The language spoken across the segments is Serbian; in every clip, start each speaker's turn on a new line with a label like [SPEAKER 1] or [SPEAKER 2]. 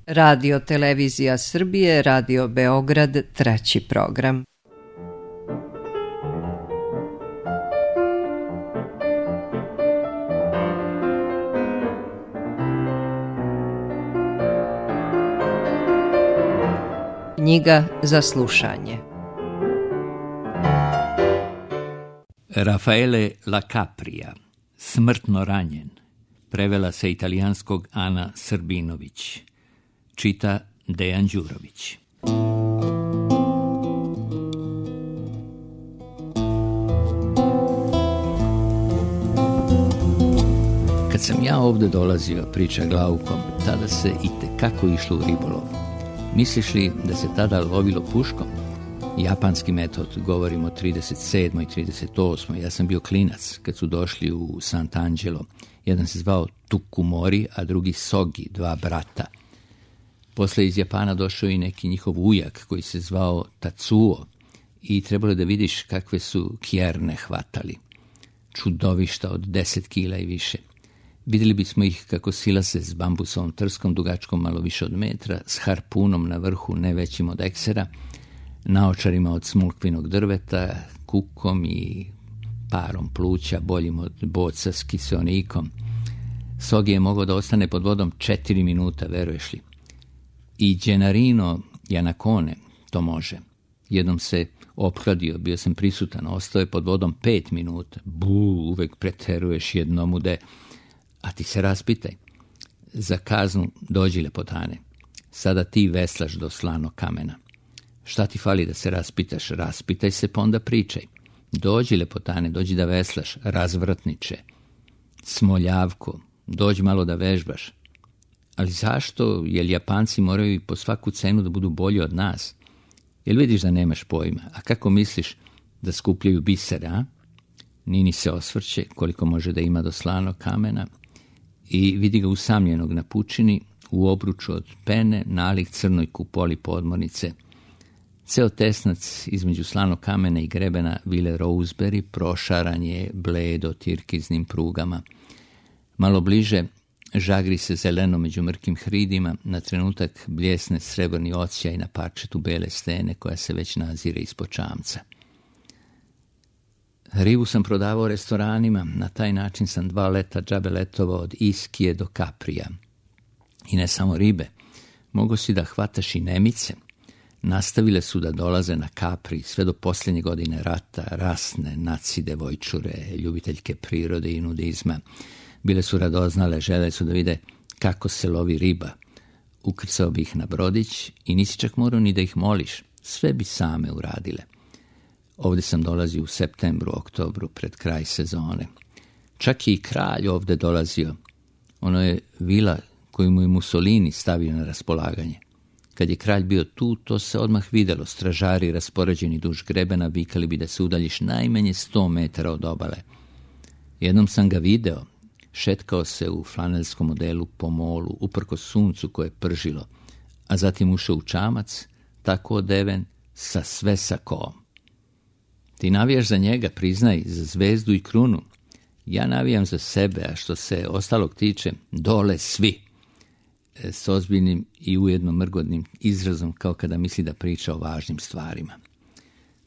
[SPEAKER 1] Radio Televizija Srbije, Radio Beograd, 3. program. Knjiga za slušanje.
[SPEAKER 2] Raffaele La Capria, Smrtno ranjen. Prevela sa italijanskog Ana Srbinović. Čita Dejan Đurović. Kad sam ja ovdje dolazio, priča Glaukom, tada se itekako išlo u ribolov. Misliš li da se tada lovilo puškom? Japanski metod, govorimo o 37. i 38. Ja sam bio klinac kad su došli u Sant'Angelo. Jedan se zvao Tukumori, a drugi Sogi, dva brata. Posle iz Japana došao i neki njihov ujak koji se zvao Tatsuo i trebalo da vidiš kakve su kjerne hvatali. Čudovišta od 10 kila i više. Vidjeli bismo ih kako silase s bambusovom trskom dugačkom malo više od metra, s harpunom na vrhu ne većim od eksera, naočarima od smulkvinog drveta, kukom i parom pluća boljim od boca s kiseonikom. Sogi je mogao da ostane pod vodom 4 minuta, veruješ li? I Gennarino Janacone to može. Jednom se ophladio, bio sam prisutan, ostao je pod vodom 5 minuta. Uvek preteruješ jednomude. A ti se raspitaj. Za kaznu dođi, lepotane. Sada ti veslaš do Slanog kamena. Šta ti fali da se raspitaš? Raspitaj se, pa onda pričaj. Dođi, lepotane, dođi da veslaš, razvrtniče. Smoljavko, dođi malo da vežbaš. Ali zašto? Jel Japanci moraju po svaku cenu da budu bolji od nas? Jel vidiš da nemaš pojma? A kako misliš da skupljaju bisere, a? Nini se osvrće koliko može da ima do Slanog kamena i vidi ga usamljenog na pučini, u obruču od pene, nalik crnoj kupoli podmornice. Ceo tesnac između Slanog kamena i grebena vile Rosebery prošaran je bledo tirkiznim prugama. Malo bliže žagri se zeleno među mrkim hridima, na trenutak bljesne srebrni odsjaj na parčetu bele stene koja se već nazire ispod čamca. Ribu sam prodavao restoranima, na taj način sam 2 leta džabe letovao od Iskije do Kaprija. I ne samo ribe, mogo si da hvataš i nemice. Nastavile su da dolaze na Kapri sve do posljednje godine rata, rasne, naci devojčure, ljubiteljke prirode i nudizma. Bile su radoznale, žele su da vide kako se lovi riba. Ukrcao bi ih na brodić i nisi čak morao ni da ih moliš, sve bi same uradile. Ovdje sam dolazio u septembru, oktobru, pred kraj sezone. Čak je i kralj ovdje dolazio. Ono je vila koju mu je Mussolini stavio na raspolaganje. Kad je kralj bio tu, to se odmah videlo. Stražari raspoređeni duž grebena vikali bi da se udaljiš najmanje 100 metara od obale. Jednom sam ga video. Šetkao se u flanelskom modelu po molu, uprkos suncu koje je pržilo, a zatim ušao u čamac, tako odeven, sa sve sakom. Ti navijaš za njega, priznaj, za zvezdu i krunu. Ja navijam za sebe, a što se ostalog tiče, dole svi. S ozbiljnim i ujedno mrgodnim izrazom, kao kada misli da priča o važnim stvarima.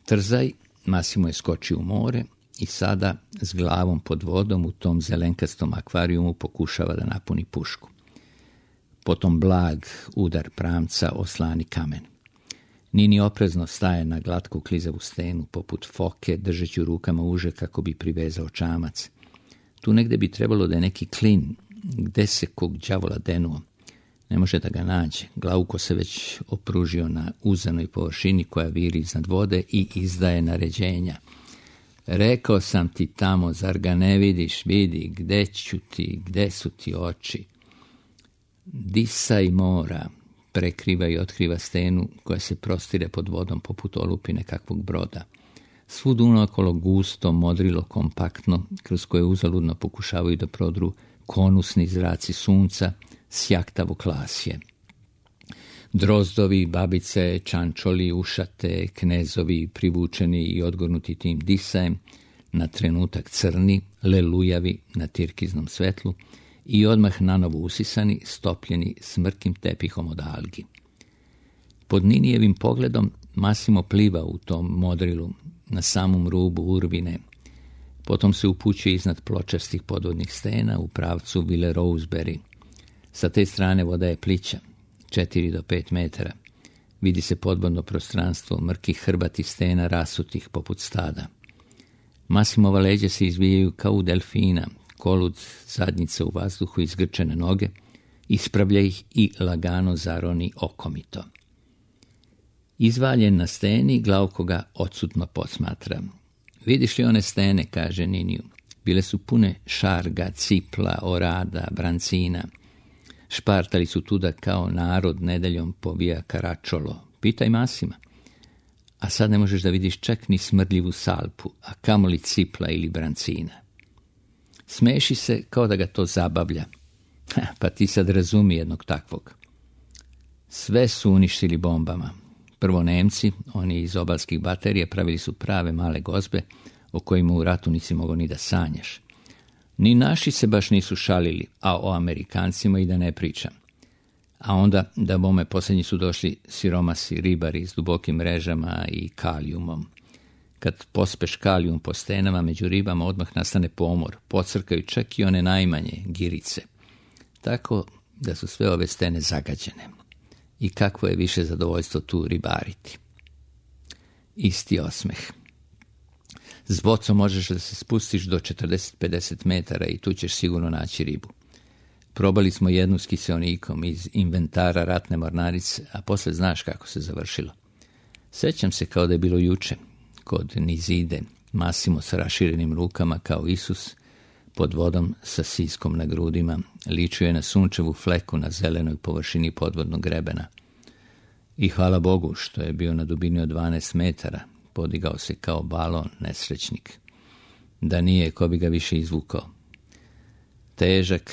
[SPEAKER 2] Trzaj, Massimo je skočio u more i sada s glavom pod vodom u tom zelenkastom akvarijumu pokušava da napuni pušku. Potom blag udar pramca o Slani kamen. Nini oprezno staje na glatku klizavu stenu, poput foke, držeći u rukama uže kako bi privezao čamac. Tu negde bi trebalo da je neki klin, gde se kog đavola denuo. Ne može da ga nađe. Glauko se već opružio na uzanoj površini koja viri iznad vode i izdaje naređenja. Rekao sam ti tamo, zar ga ne vidiš? Vidi, gde ću ti, gde su ti oči? Disaj mora, prekriva i otkriva stenu koja se prostire pod vodom poput olupine kakvog broda. Svud unaokolo gusto, modrilo, kompaktno, kroz koje uzaludno pokušavaju da prodru konusni zraci sunca, sjaktavo klasje. Drozdovi, babice, čančoli, ušate, knezovi, privučeni i odgornuti tim disajem, na trenutak crni, lelujavi na tirkiznom svetlu i odmah nanovo usisani, stopljeni smrkim tepihom od algi. Pod Ninijevim pogledom Massimo pliva u tom modrilu na samom rubu urvine, potom se upućuje iznad pločastih podvodnih stena u pravcu Ville Rosebery. Sa te strane voda je plića, 4 do 5 metara. Vidi se podvodno prostranstvo mrkih hrbati stena rasutih poput stada. Massimova leđa se izvijaju kao u delfina, kolud zadnjice u vazduhu, izgrčene noge, ispravlja ih i lagano zaroni okomito. Izvaljen na steni, Glauko ga odsutno posmatra. Vidiš li one stene, kaže Niniju. Bile su pune šarga, cipla, orada, brancina. Špartali su tuda kao narod nedeljom po Via Caracciolo. Pitaj Massima. A sad ne možeš da vidiš čak ni smrdljivu salpu, a kamoli cipla ili brancina. Smeši se kao da ga to zabavlja. Pa ti sad razumi jednog takvog. Sve su uništili bombama. Prvo Nemci, oni iz obalskih baterija, pravili su prave male gozbe o kojima u ratu nisi mogao ni da sanjaš. Ni naši se baš nisu šalili, a o Amerikancima i da ne pričam. A onda, da bome, posljednji su došli siromasi, ribari s dubokim mrežama i kalijumom. Kad pospeš kalijum po stenama, među ribama odmah nastane pomor, pocrkaju čak i one najmanje, girice. Tako da su sve ove stene zagađene. I kakvo je više zadovoljstvo tu ribariti. Isti osmeh. S bocom možeš da se spustiš do 40-50 metara i tu ćeš sigurno naći ribu. Probali smo jednu s kiseonikom iz inventara ratne mornarice, a posle znaš kako se završilo. Sećam se kao da je bilo juče, kod Nizide, Massimo sa raširenim rukama kao Isus, pod vodom sa siskom na grudima, ličio je na sunčevu fleku na zelenoj površini podvodnog grebena. I hvala Bogu što je bio na dubini od 12 metara, podigao se kao balon, nesrećnik. Da nije, ko bi ga više izvukao. Težak,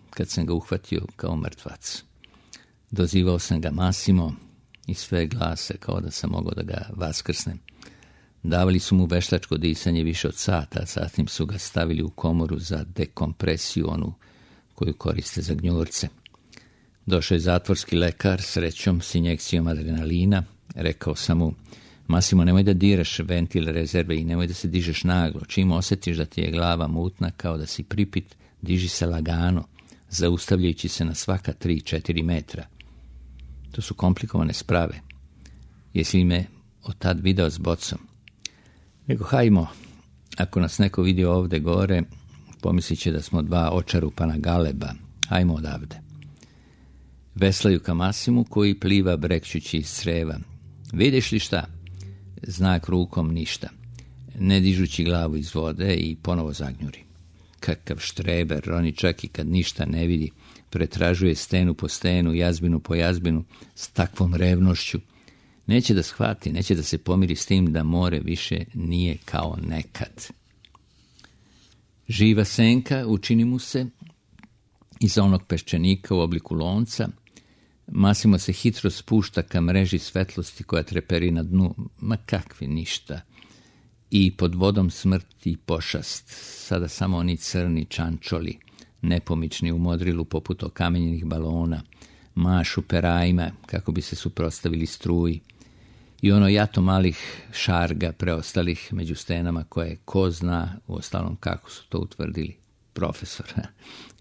[SPEAKER 2] kad sam ga uhvatio kao mrtvac. Dozivao sam ga Massimo i sve glase kao da sam mogao da ga vaskrsnem. Davali su mu veštačko disanje više od sata, a zatim su ga stavili u komoru za dekompresiju, onu koju koriste za gnjurce. Došao je zatvorski lekar, srećom, s injekcijom adrenalina. Rekao sam mu, Massimo, nemoj da diraš ventil rezerve i nemoj da se dižeš naglo. Čim osjetiš da ti je glava mutna, kao da si pripit, diži se lagano, zaustavljajući se na svaka 3-4 metra. To su komplikovane sprave. Jesi li me od tad video s bocom? Nego, hajmo, ako nas neko vidi ovde gore, pomislit će da smo dva očarupana galeba. Hajmo odavde. Veslaju ka Massimu koji pliva brekćući iz creva. Vidiš li šta? Znak rukom ništa. Ne dižući glavu iz vode i ponovo zagnjuri. Kakav štreber, oni čak i kad ništa ne vidi, pretražuje stenu po stenu, jazbinu po jazbinu, s takvom revnošću. Neće da shvati, neće da se pomiri s tim da more više nije kao nekad. Živa senka učini mu se iza onog peščanika u obliku lonca. Massimo se hitro spušta ka mreži svetlosti koja treperi na dnu, ma kakvi ništa. I pod vodom smrt i pošast, sada samo oni crni čančoli, nepomični u modrilu poput okamenjenih balona, mašu perajima kako bi se suprotstavili struji. I ono jato malih šarga preostalih među stenama koje ko zna, u ostalom kako su to utvrdili. Profesor,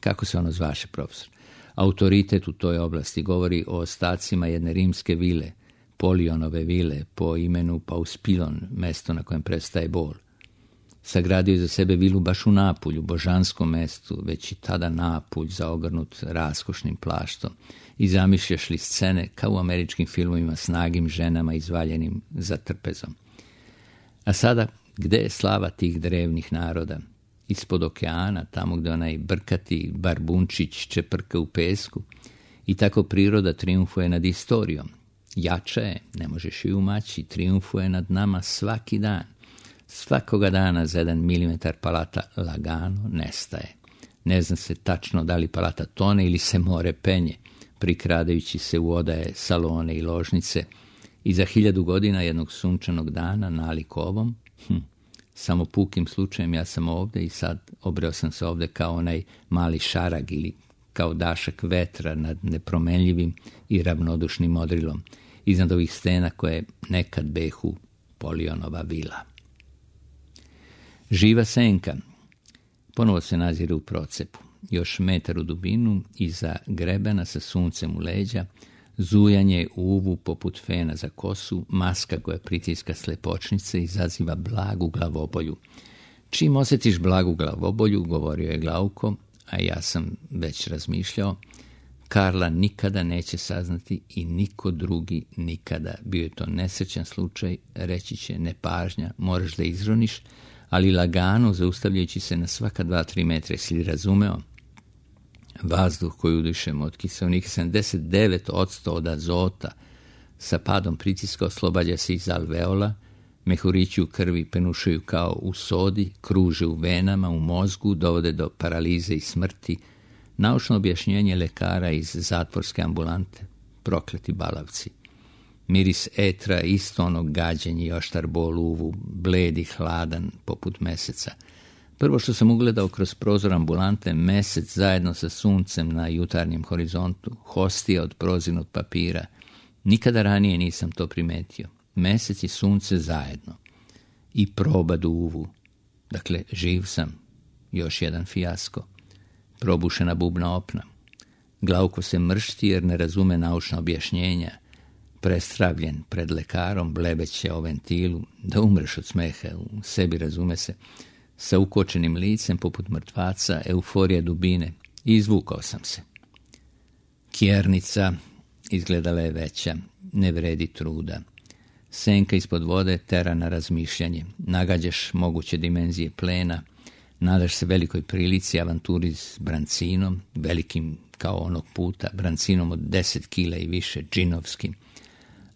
[SPEAKER 2] kako se ono zvaše profesor? Autoritet u toj oblasti govori o ostacima jedne rimske vile, Polionove vile, po imenu Pauspilon, mesto na kojem prestaje bol. Sagradio je za sebe vilu baš u Napulju, božanskom mestu, već i tada Napulj zaogrnut raskošnim plaštom. I zamišljaš li scene kao u američkim filmovima s nagim ženama izvaljenim za trpezom. A sada, gde je slava tih drevnih naroda? Ispod okeana, tamo gde onaj brkati barbunčić čeprka u pesku. I tako priroda triumfuje nad istorijom. Jača je, ne možeš ju umaći, triumfuje nad nama svaki dan. Svakoga dana za 1 milimetar palata lagano nestaje. Ne zna se tačno da li palata tone ili se more penje, prikradajući se u odaje, salone i ložnice. I za 1000 godina jednog sunčanog dana nalik ovom, Samo pukim slučajem ja sam ovdje i sad obreo sam se ovdje kao onaj mali šarag ili kao dašak vetra nad nepromenljivim i ravnodušnim modrilom iznad ovih stena koje nekad behu Polionova vila. Živa senka ponovo se nazire u procepu. Još metar u dubinu, iza grebena sa suncem u leđa, zujanje uvu poput fena za kosu, maska koja pritiska slepočnice izaziva blagu glavobolju. Čim osjetiš blagu glavobolju, govorio je Glauko, a ja sam već razmišljao, Karla nikada neće saznati i niko drugi nikada. Bio je to nesrećan slučaj, reći će nepažnja, moraš da izroniš, ali lagano, zaustavljajući se na svaka 2-3 metra, si li razumeo? Vazduh koji udišemo od kiseonika 79% od azota sa padom pritiska oslobađa se iz alveola, mehurići u krvi penušaju kao u sodi, kruže u venama, u mozgu, dovode do paralize i smrti. Naučno objašnjenje lekara iz zatvorske ambulante, prokleti balavci. Miris etra, isto onog gađenja i oštar bol uvu, bled i hladan poput meseca. Prvo što sam ugledao kroz prozor ambulante, mesec zajedno sa suncem na jutarnjem horizontu, hostija od prozirnog papira. Nikada ranije nisam to primetio. Mesec i sunce zajedno. I probad u uvu. Dakle, živ sam. Još jedan fijasko. Probušena bubna opna. Glauko se mršti jer ne razume naučna objašnjenja. Prestravljen pred lekarom, blebeće o ventilu, da umreš od smeha, u sebi razume se, sa ukočenim licem poput mrtvaca, euforija dubine. Izvukao sam se. Kjernica izgledala je veća, ne vredi truda. Senka ispod vode tera na razmišljanje. Nagađaš moguće dimenzije plena, nadaš se velikoj prilici, avanturi s brancinom, velikim kao onog puta, brancinom od 10 kila i više, džinovskim.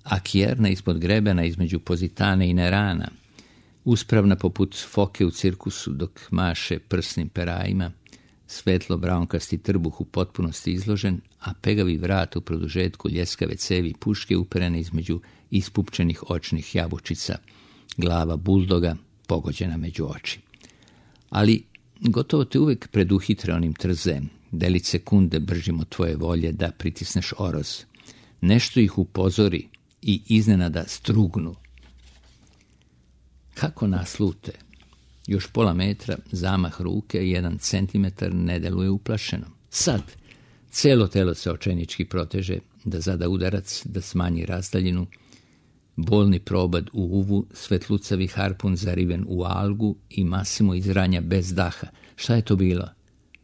[SPEAKER 2] A kjerna ispod grebena između Pozitane i Nerana, uspravna poput foke u cirkusu dok maše prsnim perajima, svetlo braunkasti trbuh u potpunosti izložen, a pegavi vrat u produžetku ljeskave cevi puške uperene između ispupčenih očnih jabučica, glava buldoga pogođena među oči. Ali gotovo te uvijek preduhitre onim trzem, delić sekunde bržim od tvoje volje da pritisneš oroz. Nešto ih upozori i iznenada strugnu. Kako naslute? Još pola metra, zamah ruke, 1 centimetar ne deluje uplašeno. Sad, celo telo se očajnički proteže, da zada udarac, da smanji razdaljinu, bolni probad u uvu, svetlucavi harpun zariven u algu i Masimo izranja bez daha. Šta je to bilo?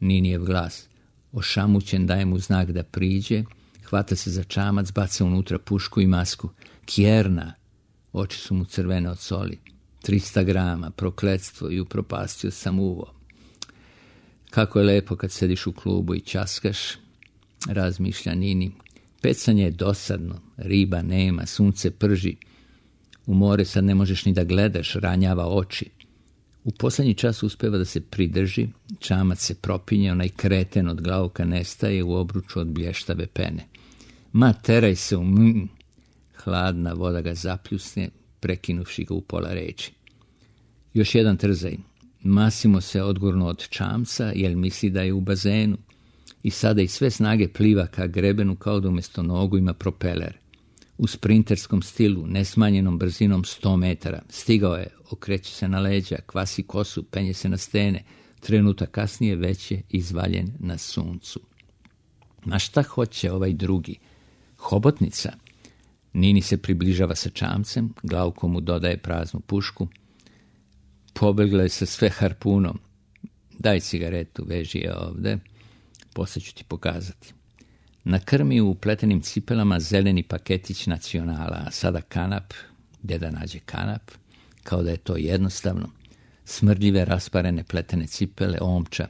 [SPEAKER 2] Ninijev glas. Ošamućen daje mu znak da priđe, hvata se za čamac, baca unutra pušku i masku. Kjerna! Oči su mu crvene od soli. 300 grama, prokletstvo i upropastio sam uvo. Kako je lepo kad sediš u klubu i ćaskaš, razmišlja Nini. Pecanje je dosadno, riba nema, sunce prži. U more sad ne možeš ni da gledaš, ranjava oči. U poslednji čas uspeva da se pridrži, čamac se propinje, onaj kreten od Glauka nestaje u obruču od blještave pene. Ma, teraj se u Hladna voda ga zapljusne, prekinuvši ga u pola reči. Još jedan trzaj. Masimo se odgurno od čamca, jer misli da je u bazenu. I sada iz sve snage pliva ka grebenu kao da umjesto nogu ima propeler. U sprinterskom stilu, nesmanjenom brzinom 100 metara. Stigao je, okreće se na leđa, kvasi kosu, penje se na stene. Trenutak kasnije već je izvaljen na suncu. Ma šta hoće ovaj drugi? Hobotnica? Nini se približava sa čamcem, Glauko mu dodaje praznu pušku. Pobegla je sa sve harpunom. Daj cigaretu, veži je ovde, posle ću ti pokazati. Na krmi u pletenim cipelama zeleni paketić Nacionala, a sada kanap, gdje da nađe kanap, kao da je to jednostavno. Smrdljive rasparene pletene cipele, omča,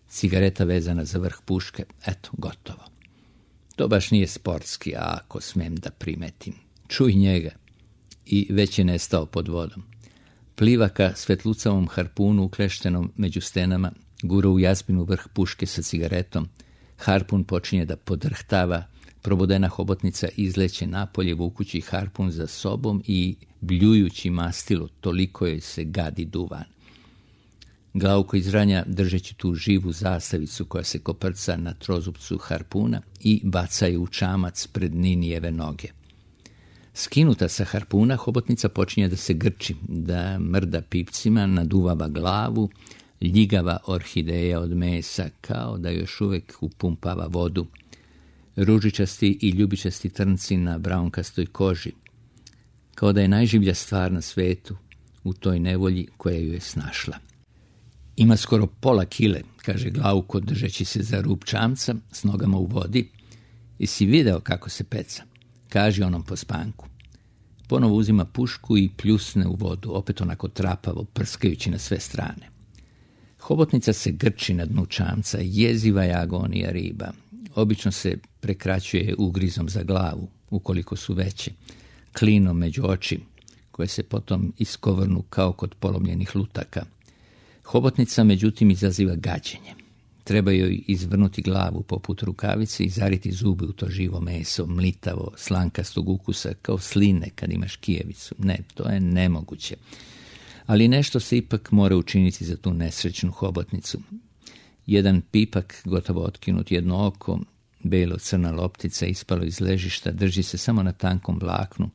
[SPEAKER 2] cigareta vezana za vrh puške, eto, gotovo. To baš nije sportski, a ako smem da primetim. Čuj njega. I već je nestao pod vodom. Pliva ka svetlucavom harpunu ukleštenom među stenama, gura u jazbinu vrh puške sa cigaretom. Harpun počinje da podrhtava, Probodena hobotnica izleće napolje vukući harpun za sobom i bljujući mastilo, toliko joj se gadi duvan. Glauko izranja, držeći tu živu zastavicu koja se koprca na trozupcu harpuna i baca je u čamac pred Ninijeve noge. Skinuta sa harpuna, hobotnica počinje da se grči, da mrda pipcima, naduvava glavu, ljigava orhideja od mesa, kao da još uvek upumpava vodu. Ružičasti i ljubičasti trnci na braunkastoj koži, kao da je najživlja stvar na svetu u toj nevolji koja ju je snašla. Ima skoro pola kile, kaže Glauko, držeći se za rub čamca s nogama u vodi. Jesi video kako se peca? Kaži onom po spanku. Ponovo uzima pušku i pljusne u vodu, opet onako trapavo, prskajući na sve strane. Hobotnica se grči na dnu čamca, jeziva je agonija riba. Obično se prekraćuje ugrizom za glavu, ukoliko su veće, klinom među oči, koje se potom iskovrnu kao kod polomljenih lutaka. Hobotnica, međutim, izaziva gađenje. Treba joj izvrnuti glavu poput rukavice i zariti zube u to živo meso, mlitavo, slankastog ukusa, kao sline kad imaš kijevicu. Ne, to je nemoguće. Ali nešto se ipak mora učiniti za tu nesrećnu hobotnicu. Jedan pipak, gotovo otkinut, jedno oko, belo-crna loptica ispalo iz ležišta, drži se samo na tankom vlaknu.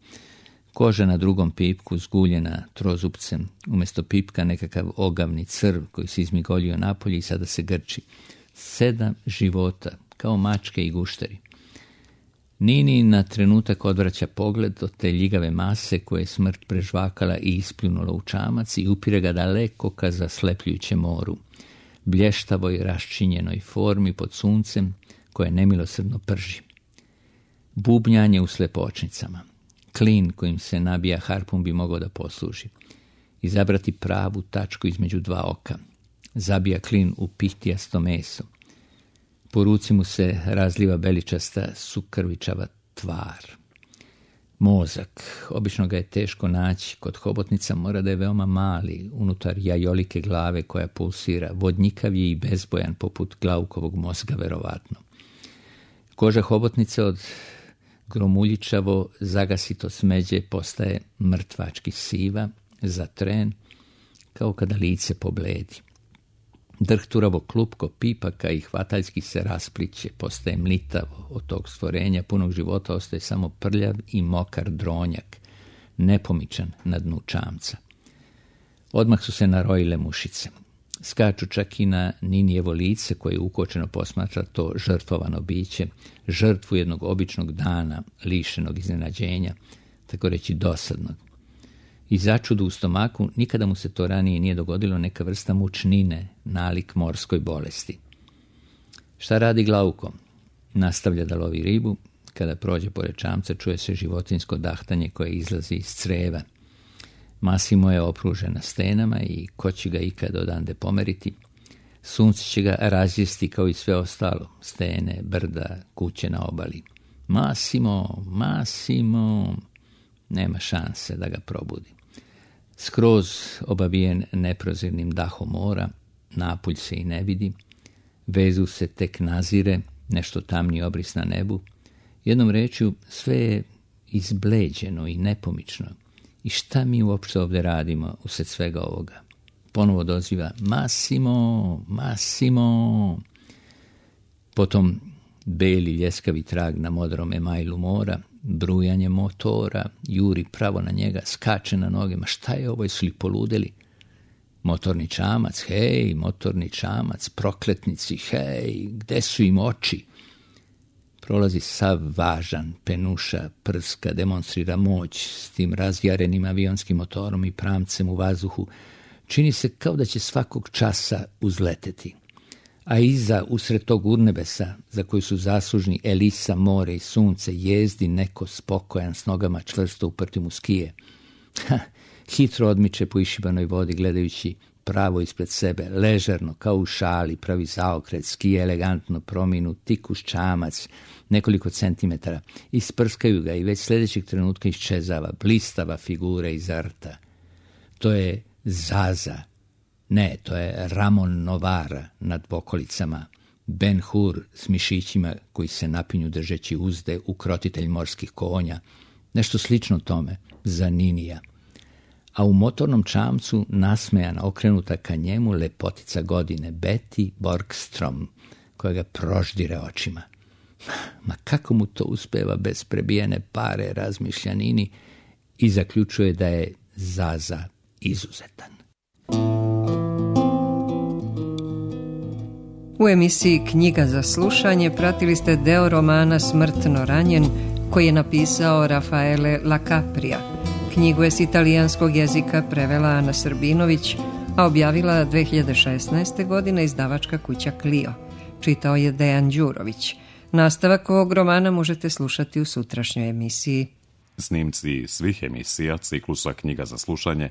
[SPEAKER 2] Koža na drugom pipku zguljena trozupcem, umjesto pipka nekakav ogavni crv koji se izmigoljio napolje i sada se grči. 7 života, kao mačke i gušteri. Nini na trenutak odvraća pogled od te ljigave mase koje je smrt prežvakala i ispljunula u čamac i upire ga daleko ka zaslepljujuće moru, blještavoj raščinjenoj formi pod suncem koje nemilosrdno prži. Bubnjanje u slepočnicama. Klin kojim se nabija harpun bi mogao da posluži. Izabrati pravu tačku između 2 oka. Zabija klin u pihtijasto meso. Po ruci mu se razliva beličasta sukrvičava tvar. Mozak. Obično ga je teško naći. Kod hobotnica mora da je veoma mali, unutar jajolike glave koja pulsira. Vodnjikav je i bezbojan poput Glaukovog mozga, verovatno. Koža hobotnice od gromuljičavo zagasito smeđe postaje mrtvački siva, za tren, kao kada lice pobledi. Drhturavo klupko pipaka i hvataljski se raspliće, postaje mlitavo, od tog stvorenja punog života ostaje samo prljav i mokar dronjak, nepomičan na dnu čamca. Odmah su se narojile mušice. Skaču čak i na Ninijevo lice koje ukočeno posmatra to žrtvovano biće, žrtvu jednog običnog dana, lišenog iznenađenja, tako reći dosadnog. I začudu u stomaku, nikada mu se to ranije nije dogodilo, neka vrsta mučnine, nalik morskoj bolesti. Šta radi Glauko? Nastavlja da lovi ribu. Kada prođe pored čamca, čuje se životinjsko dahtanje koje izlazi iz creva. Masimo je opružena stenama i ko će ga ikad odande pomeriti. Sunce će ga razjesti kao i sve ostalo, stene, brda, kuće na obali. Masimo, nema šanse da ga probudi. Skroz obavijen neprozirnim dahom mora, napulj se i ne vidi, vezu se tek nazire, nešto tamni obris na nebu. Jednom rečju, sve je izbleđeno i nepomično. I šta mi uopšte ovdje radimo usred svega ovoga? Ponovo doziva Masimo. Potom beli ljeskavi trag na modrom emajlu mora, brujanje motora, juri pravo na njega, skače na noge. Ma šta je ovo, su li poludeli? Motorni čamac, hej, motorni čamac, prokletnici, hej, gde su im oči? Prolazi sav važan, penuša, prska, demonstrira moć s tim razjarenim avionskim motorom i pramcem u vazduhu. Čini se kao da će svakog časa uzleteti. A iza, usred tog urnebesa, za koju su zaslužni Elisa, more i sunce, jezdi neko spokojan s nogama čvrsto uprtim u skije. Hitro odmiče po išibanoj vodi gledajući pravo ispred sebe, ležerno, kao u šali, pravi zaokret, skije elegantno prominu, tik uz čamac, nekoliko centimetara, isprskaju ga i već sljedećeg trenutka iščezava, blistava figura iz rta. To je Zaza. Ne, to je Ramon Novara nad Bokolicama, Ben Hur s mišićima koji se napinju držeći uzde, ukrotitelj morskih konja, nešto slično tome, za Ninija. A u motornom čamcu, nasmejana, okrenuta ka njemu, lepotica godine, Betty Borgstrom, koja ga proždire očima. Ma kako mu to uspeva bez prebijene pare, razmišlja Nini i zaključuje da je Zaza izuzetan.
[SPEAKER 1] U emisiji Knjiga za slušanje pratili ste deo romana Smrtno ranjen koji je napisao Rafaele Lacaprija. Knjigu je s italijanskog jezika prevela Ana Srbinović, a objavila 2016. godine izdavačka kuća Clio. Čitao je Dejan Đurović. Nastavak ovog romana možete slušati u sutrašnjoj emisiji.
[SPEAKER 3] Snimci svih emisija ciklusa Knjiga za slušanje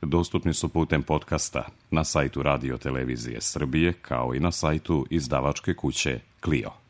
[SPEAKER 3] dostupni su putem podcasta na sajtu Radio Televizije Srbije kao i na sajtu izdavačke kuće Clio.